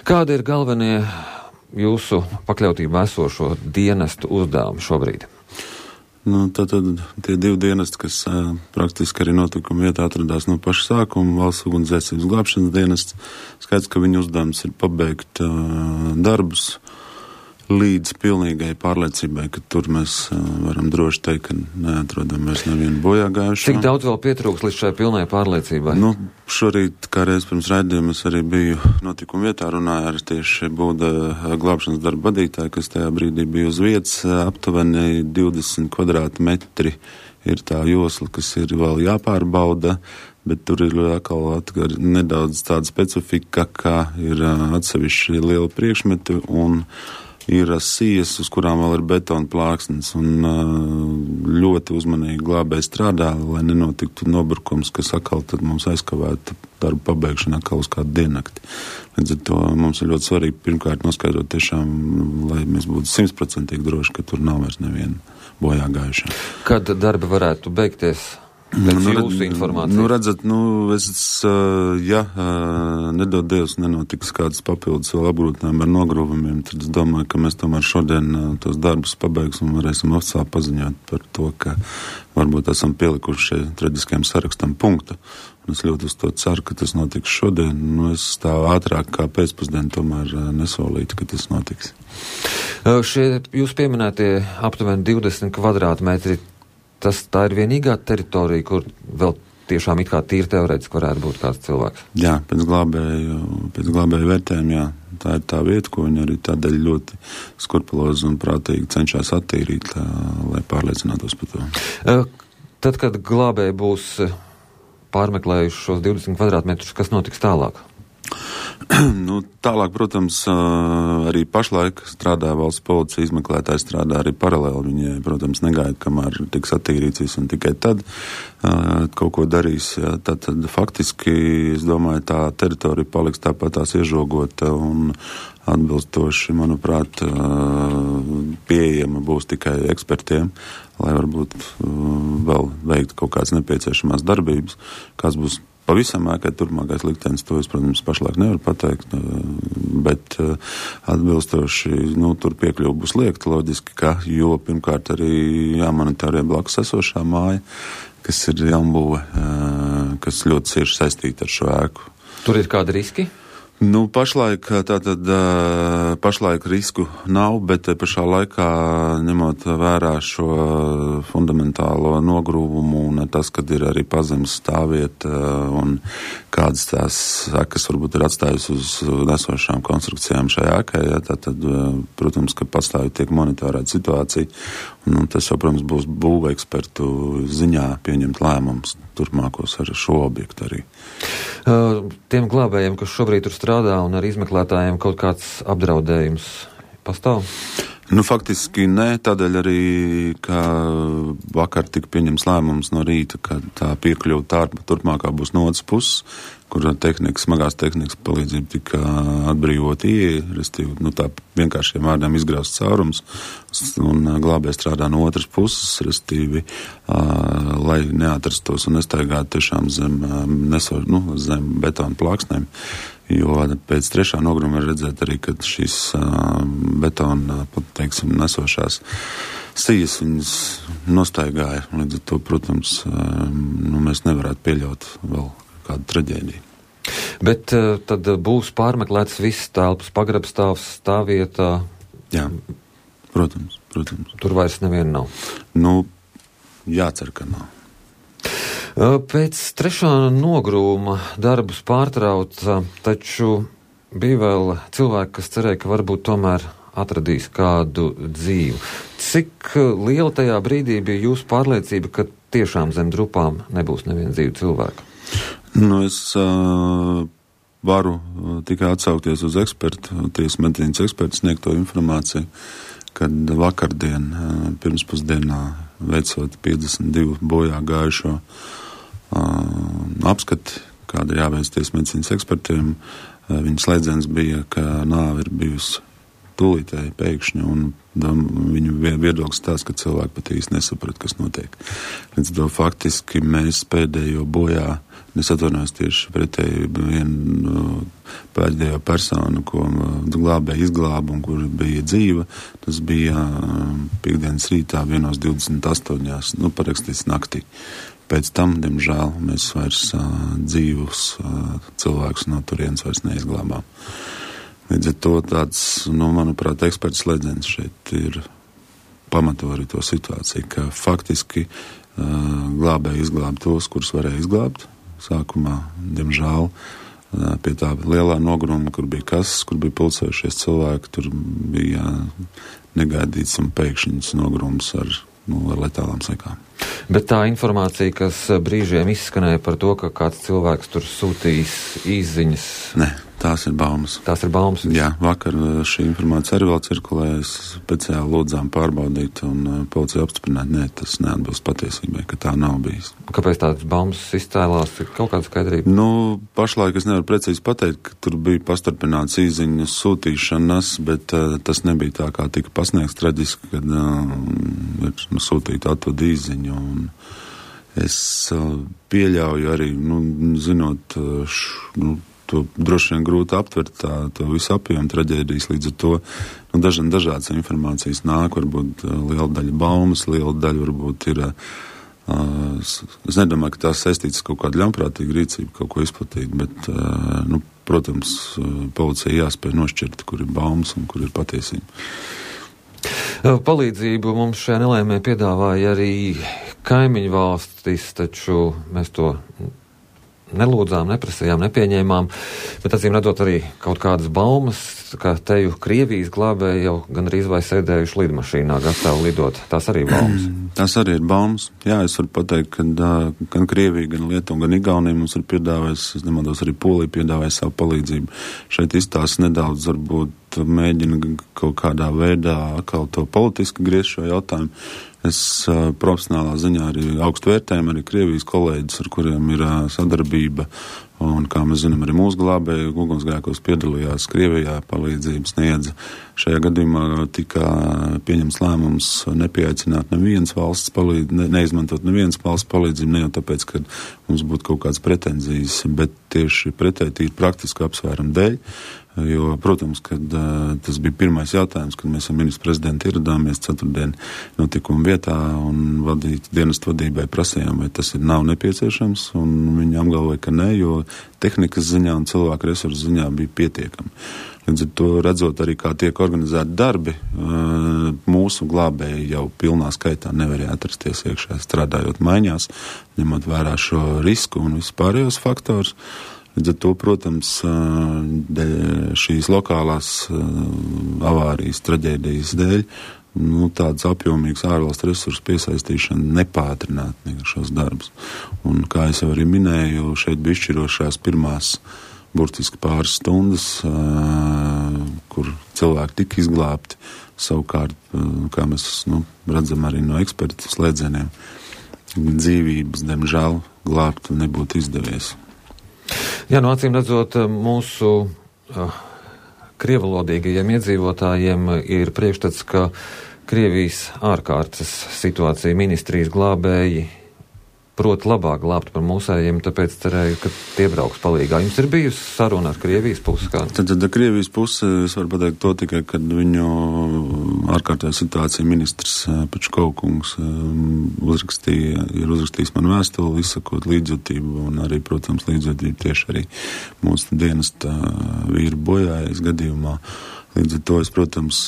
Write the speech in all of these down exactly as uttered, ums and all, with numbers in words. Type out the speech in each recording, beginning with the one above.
Kādi ir galvenie jūsu pakļautībā esošo dienestu uzdevumi šobrīd? Nu, tad, tad tie divi dienesti, kas uh, praktiski arī notikuma vietā atradās no paša sākuma, valsts ugunsdzēsības glābšanas dienests, skaidrs, ka viņu uzdevums ir pabeigt uh, darbus līdz pilnīgai pārliecībai, ka tur mēs uh, varam droši teikt, ka neatrodam vairs nevienu bojāgājušo. Cik daudz vēl pietrūks līdz šai pilnai pārliecībai? Nu, šorīt, kā reiz pirms raidījuma, es arī biju notikuma vietā, runāju ar tieši Būda glābšanas darba vadītāju, kas tajā brīdī bija uz vietas, aptuveni divdesmit kvadrātmetri ir tā josla, kas ir vēl jāpārbauda, bet tur ir atkal atgar nedaudz tāda specifika, kā ir atsevišķi liela priekšmeti un ir sijas, uz kurām vēl ir betona plāksnes, un ļoti uzmanīgi glābēji strādā, lai nenotiktu nobrukums, kas atkal tad mums aizkavētu darbu pabeigšanu atkal uz kādu diennakti. Līdz ar to mums ir ļoti svarīgi pirmkārt noskaidrot tiešām, lai mēs būtu simtprocentīgi droši, ka tur nav vairs neviena bojāgājušā. Kad darbi varētu beigties? Pēc jūsu informācijas. Nu, redzat, nu, es, ja nedod Dievs nenotiks kādas papildus vēl apgrūtinājumi ar nogruvumiem, tad es domāju, ka mēs tomēr šodien tos darbus pabeigsim un varēsim oficiāli paziņot par to, ka varbūt esam pielikuši šai traģiskajam sarakstam punktu. Un es ļoti uz to ceru, ka tas notiks šodien. Nu, es tā ātrāk kā pēcpusdienu tomēr nesolītu, ka tas notiks. Šie jūs pieminētie aptuveni divdesmit kvadrātmetri, tas tā ir vienīgā teritorija, kur vēl tiešām it kā tīri teorētiski varētu būt kāds cilvēks? Jā, pēc glābēju, pēc glābēju vērtējuma, jā. Tā ir tā vieta, ko viņi arī tādēļ ļoti skrupulozi un prātīgi cenšas attīrīt, tā, lai pārliecinātos par to. Tad, kad glābēji būs pārmeklējuši šos divdesmit kvadrātmetrus, kas notiks tālāk? Nu, tālāk, protams, arī pašlaik strādā valsts policija, izmeklētāji strādā arī paralēli. Viņi, protams, negaida, kamēr tiks attīrīts viss un tikai tad uh, kaut ko darīs. Jā. Tad, tad faktiski, es domāju, tā teritorija paliks tāpat tās iežogota un atbilstoši, manuprāt, uh, pieejama būs tikai ekspertiem, lai varbūt uh, vēl veikt kaut kādas nepieciešamās darbības, kas būs pavisam ēkai turpmākais liktenis, to es, protams, pašlaik nevaru pateikt, bet atbilstoši, nu, tur piekļuva būs liekta loģiski, ka, jo pirmkārt arī jāmonitorē blakus esošā māja, kas ir jaunbūve, kas ļoti cieši saistīta ar šo ēku. Tur ir kādi riski? Nu, pašlaik tātad pašlaik risku nav, bet pašā laikā ņemot vērā šo fundamentālo nogrūvumu un tas, kad ir arī pazemes stāvvieta un kādas tās sekas varbūt ir atstājusi uz nesošām konstrukcijām šajā ēkai, ja, tātad, protams, ka pastāvīgi tiek monitorēta situācija, un tas jau, protams, būs būvekspertu ziņā pieņemt lēmumus turpmākos ar šo objektu arī. Uh, tiem glābējiem, kas šobrīd tur strādā un ar izmeklētājiem kaut kāds apdraudējums pastāv? Nu, faktiski nē, tādēļ arī, ka vakar tika pieņems lēmums no rīta, ka tā piekļuva tā turpmākā būs no otras puses, kur tehnikas, smagās tehnikas palīdzība tika atbrīvot ieeja, restīvi, nu tā vienkāršiem vārdiem izgraust caurums, un glābēji strādā no otras puses, restīvi, uh, lai neatrastos un nestaigātu tiešām zem, neso, nu, zem betona plāksnēm. Jo pēc trešā nogruma var redzēt arī, ka šīs uh, betona, teiksim, nesošās sijas viņas nostaigāja. Līdz ar to, protams, uh, nu, mēs nevarētu pieļaut vēl kādu traģēdiju. Bet uh, tad būs pārmeklēts viss telpas, pagrabstāvs, stāvvietā? Jā, protams, protams. Tur vairs neviena nav? Nu, jācer, ka nav. Pēc trešā nogrūma darbus pārtrauca, taču bija vēl cilvēki, kas cerēja, ka varbūt tomēr atradīs kādu dzīvu. Cik liela tajā brīdī bija jūsu pārliecība, ka tiešām zem drupām nebūs neviena dzīva cilvēka? Nu, es uh, varu tikai atsaukties uz ekspertu, tiesas medicīnas ekspertu sniegto informāciju, kad vakardien, uh, pirmspusdienā, veicot piecdesmit divu bojā gājušo uh, apskati, kāda jāveic tiesas medicīnas ekspertiem, uh, viņa slēdziens bija, ka nāve ir bijusi tūlītēji pēkšņi, un viņu viedoklis tāds, ka cilvēki pat īsti nesaprat, kas notiek. Līdz to faktiski mēs pēdējo bojā, es atvainojos tieši pretēji vienu pēdējo personu, ko glābēja izglāba un kur bija dzīva, tas bija piekdienas rītā vienos divdesmit astoņās, nu, parakstīts naktī. Pēc tam, diemžēl, mēs vairs uh, dzīvus uh, cilvēkus no turienes vairs neizglābām. Līdz ar to tāds, nu, manuprāt, eksperts slēdziens šeit ir pamato arī to situāciju, ka faktiski uh, glābēji izglābt tos, kurus varēja izglābt. Sākumā, diemžēl, uh, pie tā lielā nogruma, kur bija kases, kur bija pulcējušies cilvēki, tur bija negaidīts un pēkšņs nogrums ar, nu, ar letālām sekām. Bet tā informācija, kas brīžiem izskanēja par to, ka kāds cilvēks tur sūtījis īsziņas... Ne, tās ir baumas. Tās ir baumas? Jā, vakar šī informācija arī vēl cirkulējas, speciāli lūdzām pārbaudīt un policija apstiprināt, nē, tas neatbilst patiesībai, ka tā nav bijis. Kāpēc tādas baumas izcēlās? Kaut kāda skaidrība? Nu, pašlaik es nevaru precīzi pateikt, ka tur bija pastarpināts īsziņu sūtīšanas, bet uh, tas nebija tā, kā tika pasniegts traģiski, kad uh, ir nu, sūtīta atvada īsziņu. Un es uh, pieļauju arī, nu, zinot, uh, š, nu, to droši vien grūti aptvert tā, to visu apjomu traģēdijas, līdz ar to, nu, dažan dažādas informācijas nāk, varbūt uh, liela daļa baumas, liela daļa varbūt ir, uh, es nedomāju, ka tās saistītas kaut kāda ļaunprātīga rīcība, kaut ko izplatīt, bet, uh, nu, protams, uh, policija jāspēj nošķirt, kur ir baumas un kur ir patiesība. Palīdzību mums šajā nelēmē piedāvāja arī kaimiņu valstis, taču mēs to nelūdzām, neprasījām, nepieņēmām, bet acīm redzot arī kaut kādas baumas, ka teju Krievijas glābēji jau gan arī vai sēdējuši lidmašīnā, gatavi lidot. Tās arī baumas. Tās arī ir baumas. Jā, es varu pateikt, ka uh, gan Krievija, gan Lietuva, gan Igaunija mums ir piedāvājis, es nemaldos, arī Polija piedāvāja savu palīdzību. Šeit izstāsta nedaudz, varbūt mēģina kaut kādā veidā atkal to politiski griezt šo jautājumu. Es uh, profesionālā ziņā arī augstu vērtējumu arī Krievijas kolēģis, ar kuriem ir uh, sadarbība, un, kā mēs zinām, arī mūsu glābēji ugunsgrēkos piedalījās Krievijā, palīdzību sniedza. Šajā gadījumā tika pieņemts lēmums nepieaicināt nevienas valsts palīdzību, ne, neizmantot nevienas valsts palīdzību, ne jau tāpēc, ka mums būtu kaut kādas pretenzijas, bet tieši pretēji tīri praktiski apsvērumu dēļ. Jo, protams, kad uh, tas bija pirmais jautājums, kad mēs ar ministru prezidentu ieradāmies ceturtdien notikuma vietā un vadīt, dienestu vadībai prasījām, vai tas ir nav nepieciešams, un viņi apgalvoja, ka ne, jo tehnikas ziņā un cilvēku resursu ziņā bija pietiekami. Līdz ar to redzot arī, kā tiek organizēti darbi, uh, mūsu glābēji jau pilnā skaitā nevarēja atrasties iekšā, strādājot maiņās, ņemot vērā šo risku un vispārējos faktors. Līdz ar to, protams, šīs lokālās avārijas, traģēdijas dēļ, nu, tāds apjomīgs ārvalstu resursu piesaistīšana nepātrinātu šos darbus. Un, kā es jau arī minēju, šeit bija izšķirošās pirmās burtiski pāris stundas, kur cilvēki tika izglābti. Savukārt, kā mēs nu, redzam arī no ekspertu slēdzieniem, dzīvības, diemžēl, glābt nebūtu izdevies. Jā, no acīm redzot, mūsu uh, krievalodīgajiem iedzīvotājiem ir priekšstats, ka Krievijas ārkārtas situācija ministrijas glābēji prot labāk glābt par mūsējiem, tāpēc cerēju, ka tie brauks palīgā. Jums ir bijusi saruna ar Krievijas pusi? Kā? Tad, tad ar Krievijas pusi es varu pateikt to tikai, kad viņu ārkārtējā situācija ministrs Pečkovkungs uzrakstīja, ir uzrakstījis man vēstuli, izsakot līdzjūtību un arī, protams, līdzjūtību tieši arī mūsu dienesta vīru bojājas gadījumā. Līdz ar to es, protams,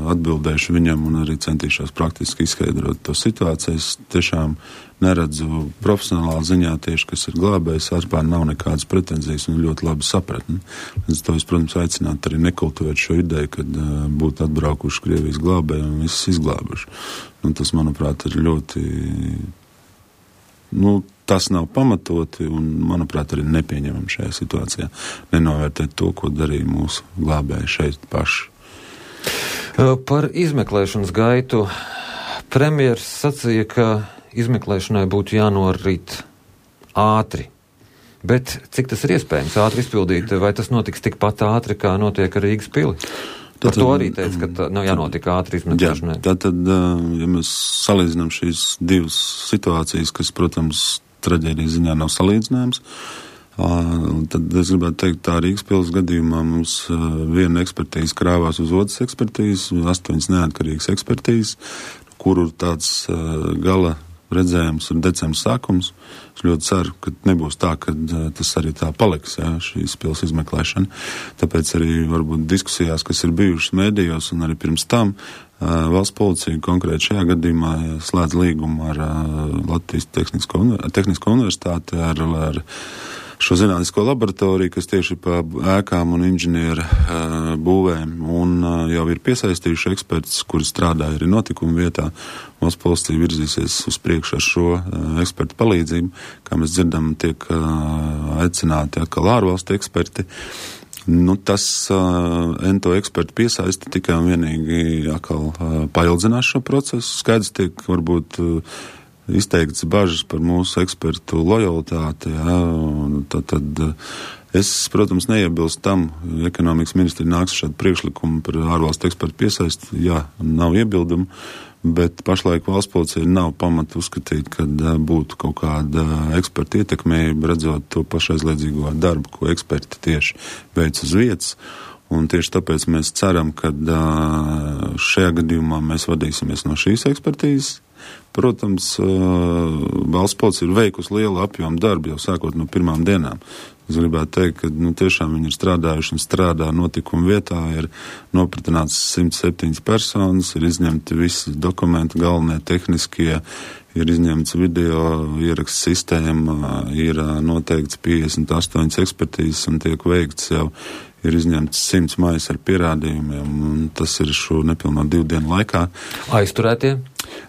atbildēšu viņam un arī centīšos praktiski izskaidrot to situāciju. Es tiešām neredzu profesionālā ziņā tieši, kas ir glābējs, vispār nav nekādas pretenzijas un ļoti labi sapratni. Līdz to es, protams, aicinātu arī nekultivēt šo ideju, kad uh, būtu atbraukuši Krievijas glābēji un visus izglābuši. Un tas, manuprāt, ir ļoti... Nu, tas nav pamatoti un, manuprāt, arī nepieņemam šajā situācijā. Nenovērtēt to, ko darīja mūsu glābēji šeit paši. Par izmeklēšanas gaitu premjers sacīja, ka izmeklēšanai būtu jānorit ātri. Bet cik tas ir iespējams ātri izpildīt? Vai tas notiks tikpat ātri, kā notiek ar Rīgas pili? Par to arī teica, ka tā nav jānotiek ātri izmeklēšanai. Jā, tātad, ja mēs salīdzinām šīs divas situācijas, kas, protams, traģēdijas ziņā nav salīdzināmas, tad es gribētu teikt, tā Rīgas pils gadījumā mums viena ekspertīze krāvās uz otras ekspertīzes, astoņas neatkarīgas ekspertīzes, kuru tāds gala redzējums ir decembris sākums. Es ļoti ceru, ka nebūs tā, ka tas arī tā paliks, jā, šīs pils izmeklēšana. Tāpēc arī varbūt diskusijās, kas ir bijušas mēdījos un arī pirms tam, valsts policija konkrēti šajā gadījumā slēdz līgumu ar Latvijas Tehnisko, Tehnisko universitāti, ar, ar šo zinātnisko laboratoriju, kas tieši pa ēkām un inženieru uh, būvēm, un uh, jau ir piesaistījuši ekspertus, kuri strādāja arī notikuma vietā. Valsts policija virzīsies uz priekšu ar šo uh, ekspertu palīdzību. Kā mēs dzirdam, tiek uh, aicināti atkal ārvalstu eksperti. Nu, tas uh, ento ekspertu piesaisti tikai un vienīgi atkal uh, paildzinās šo procesu. Skaidrs tiek varbūt uh, izteikts bažas par mūsu ekspertu lojalitāti, jā, un tad, tad es, protams, neiebilstu tam, ekonomikas ministri nāks šādu priekšlikumu par ārvalstu ekspertu piesaisti, jā, nav iebildumu, bet pašlaik valsts policija nav pamata uzskatīt, ka būtu kaut kāda eksperta ietekmējuma, redzot to pašaizliedzīgo darbu, ko eksperti tieši veic uz vietas. Un tieši tāpēc mēs ceram, ka šajā gadījumā mēs vadīsimies no šīs ekspertīzes. Protams, valsts policija ir veikusi lielu apjomu darbu jau sākot no pirmām dienām. Es gribētu teikt, ka nu, tiešām viņi ir strādājuši un strādā notikuma vietā, ir nopratināts simts septiņas personas, ir izņemti visi dokumenti, galvenie tehniskie, ir izņemts video ieraksts sistēma, ir noteikts piecdesmit astoņas ekspertīzes un tiek veikts jau, ir izņemts simts maijas ar pierādījumiem, un tas ir šo nepilnā divu dienu laikā. Aizturētie?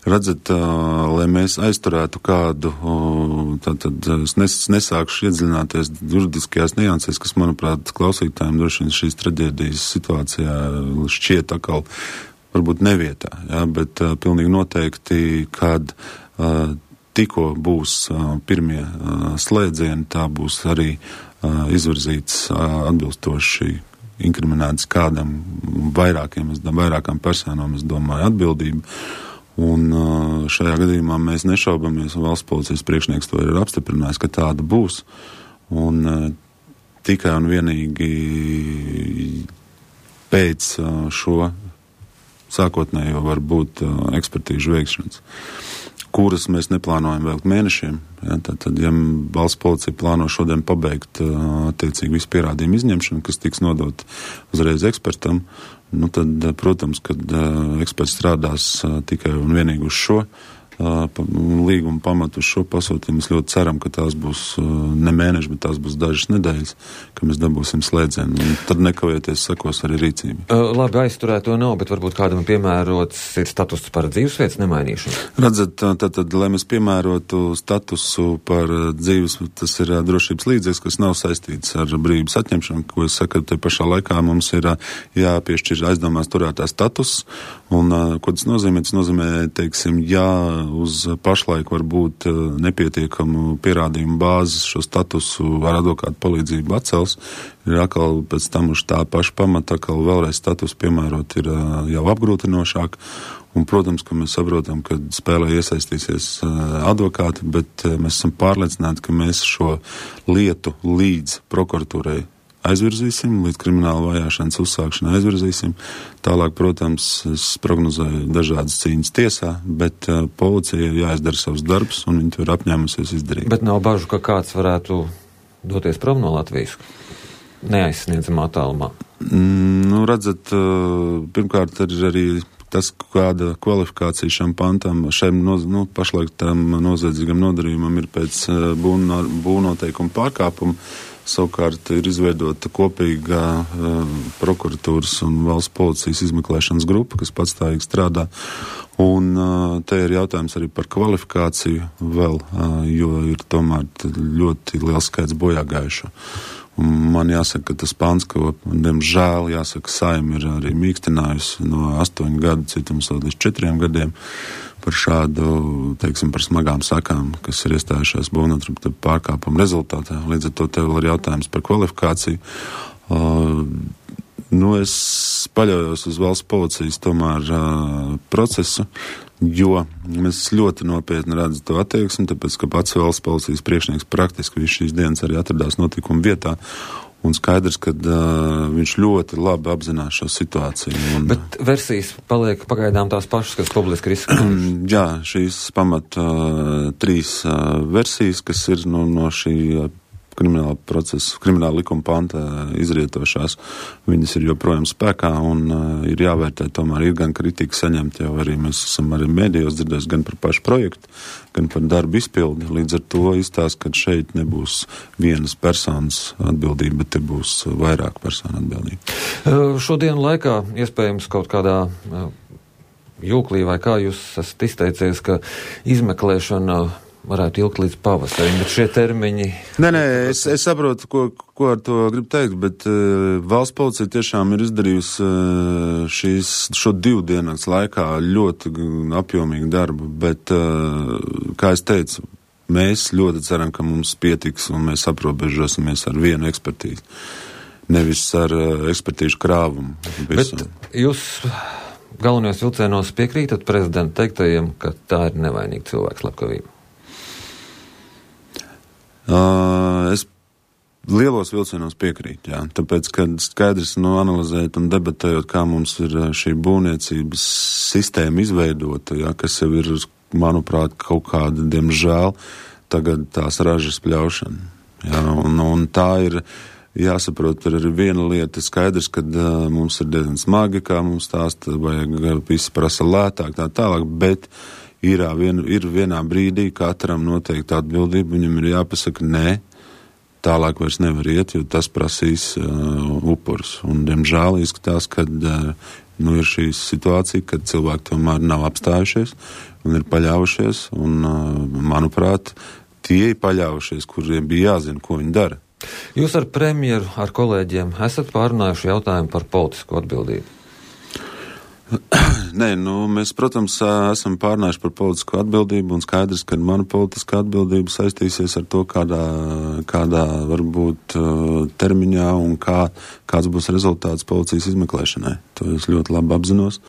Redzat, lai mēs aizturētu kādu, tad, tad es nes, nesākšu iedziļināties juridiskajās niansēs, kas, manuprāt, klausītājiem droši vien šīs traģēdijas situācijā šķiet atkal varbūt nevietā, jā, bet uh, pilnīgi noteikti, kad uh, tikko būs uh, pirmie uh, slēdzieni, tā būs arī uh, izvirzīts uh, atbilstoši inkriminēts kādam vairākiem, vairākām personām, es domāju, atbildību. Un šajā gadījumā mēs nešaubamies, un valsts policijas priekšnieks to ir apstiprinājis, ka tāda būs. Un tikai un vienīgi pēc šo sākotnējo var būt ekspertīžu veikšanas, kuras mēs neplānojam veikt mēnešiem. Ja, tad, tad, ja valsts policija plāno šodien pabeigt attiecīgi visu pierādījumu izņemšanu, kas tiks nodot uzreiz ekspertam, nu tad, protams, kad uh, eksperts strādās uh, tikai un vienīgi uz šo uh, pa, līguma pamatu, uz šo pasūtījumu, mēs ļoti ceram, ka tās būs uh, ne mēneši, bet tās būs dažas nedēļas, ka mēs dabūsim slēdzienu, un tad nekavēties sekos arī rīcība. Uh, labi, aizturēto nav, bet varbūt kādam piemērots ir status par dzīvesvietas nemainīšanu. Redzat, tad, tad, lai mēs piemērotu statusu par dzīves, tas ir uh, drošības līdzeklis, kas nav saistīts ar brīvības atņemšanu, ko es saku, te pašā laikā mums ir uh, jāpiešķir aizdomās turētā status, un uh, ko tas nozīmē? Tas nozīmē, teiksim, ja uz pašlaik var būt uh, nepietiekamu pierādījumu bāzes šo statusu ar advokātu palīdzību atcels, ir atkal pēc tam uz tā paša pamata, atkal vēlreiz status piemērot ir uh, jau apgrūtinošāk. Un, protams, ka mēs saprotam, ka spēlē iesaistīsies uh, advokāti, bet uh, mēs esam pārliecināti, ka mēs šo lietu līdz prokuratūrai aizvirzīsim, līdz krimināla vajāšanas uzsākšanai aizvirzīsim. Tālāk, protams, es prognozēju dažādas cīņas tiesā, bet uh, policija jāizdara savus darbus, un viņi to ir apņēmusies izdarīt. Bet nav bažu, ka kāds varētu doties prom no Latvijas neaizsniedzamā tālumā? Mm, nu, redzat, uh, pirmkārt ir arī tas, kāda kvalifikācija šam pantam, šiem noz, nu, pašlaik tam noziedzīgam nodarījumam ir pēc uh, būno, būvnoteikuma pārkāpuma. Savukārt ir izveidota kopīga uh, prokuratūras un valsts policijas izmeklēšanas grupa, kas patstāvīgi strādā. Un uh, te ir jautājums arī par kvalifikāciju vēl, uh, jo ir tomēr ļoti liels skaits bojāgājušo. Un man jāsaka, ka tas pants, ko, diemžēl, jāsaka, Saima ir arī mīkstinājusi no astoņu gadu cietums līdz četriem gadiem par šādu, teiksim, par smagām sakām, kas ir iestājušās būvnotarību pārkāpumu rezultātā. Līdz ar to tev ir jautājums par kvalifikāciju. Uh, Nu, es paļaujos uz valsts policijas tomēr uh, procesu, jo mēs ļoti nopietni redzam to attieksmi, tāpēc, ka pats valsts policijas priekšnieks praktiski visu šīs dienas arī atradās notikuma vietā, un skaidrs, ka uh, viņš ļoti labi apzinās šo situāciju. Un, Bet versijas paliek pagaidām tās pašas, kas publiski ir izskatījušas? Jā, šīs pamat uh, trīs uh, versijas, kas ir no, no šī uh, krimināla procesa, krimināla likuma panta izrietošās, viņas ir joprojām spēkā un uh, ir jāvērtē, tomēr ir gan kritika saņemt, jau arī mēs esam arī mēdījos dzirdējuši gan par pašu projektu, gan par darbu izpildi. Līdz ar to izstāst, ka šeit nebūs vienas personas atbildība, bet te būs vairāk personu atbildība. Uh, šodienu laikā iespējams kaut kādā uh, jūklī vai kā jūs esat izteicies, ka izmeklēšana varētu ilgt līdz pavasarim, bet šie termiņi... Nē, nē, es, es saprotu, ko, ko ar to gribu teikt, bet uh, valsts policija tiešām ir izdarījusi uh, šīs, šo divu dienas laikā ļoti apjomīgu darbu, bet, uh, kā es teicu, mēs ļoti ceram, ka mums pietiks un mēs aprobežosimies ar vienu ekspertīzi, nevis ar uh, ekspertīžu krāvumu. Visu. Bet jūs galvenajos vilcienos piekrītat prezidenta teiktajiem, ka tā ir nevainīga cilvēka slepkavība? Uh, es lielos vilcienos piekrītu, jā, tāpēc, kad skaidrs, nu, analizējot un debatējot, kā mums ir šī būvniecības sistēma izveidota, jā, kas jau ir, manuprāt, kaut kāda, diemžēl, tagad tās ražas pļaušana, jā, un, un tā ir, jāsaprot, ir arī viena lieta, skaidrs, kad uh, mums ir diezgan smagi, kā mums stāsta, vajag visi prasa lētāk, tā tālāk, bet Ir, vien, ir vienā brīdī katram noteikti atbildība, viņam ir jāpasaka, nē, tālāk vairs nevar iet, jo tas prasīs uh, upurus. Un, diemžēl, izskatās, ka uh, nu, ir šī situācija, kad cilvēki tomēr nav apstājušies un ir paļaujušies, un, uh, manuprāt, tie ir paļaujušies, kuriem bija jāzina, ko viņi dara. Jūs ar premjeru, ar kolēģiem esat pārunājuši jautājumu par politisko atbildību? Nē, nu, mēs, protams, esam pārnājuši par politisko atbildību un skaidrs, ka mana politiskā atbildība saistīsies ar to, kādā, kādā varbūt termiņā un kā, kāds būs rezultāts policijas izmeklēšanai. To es ļoti labi apzinos.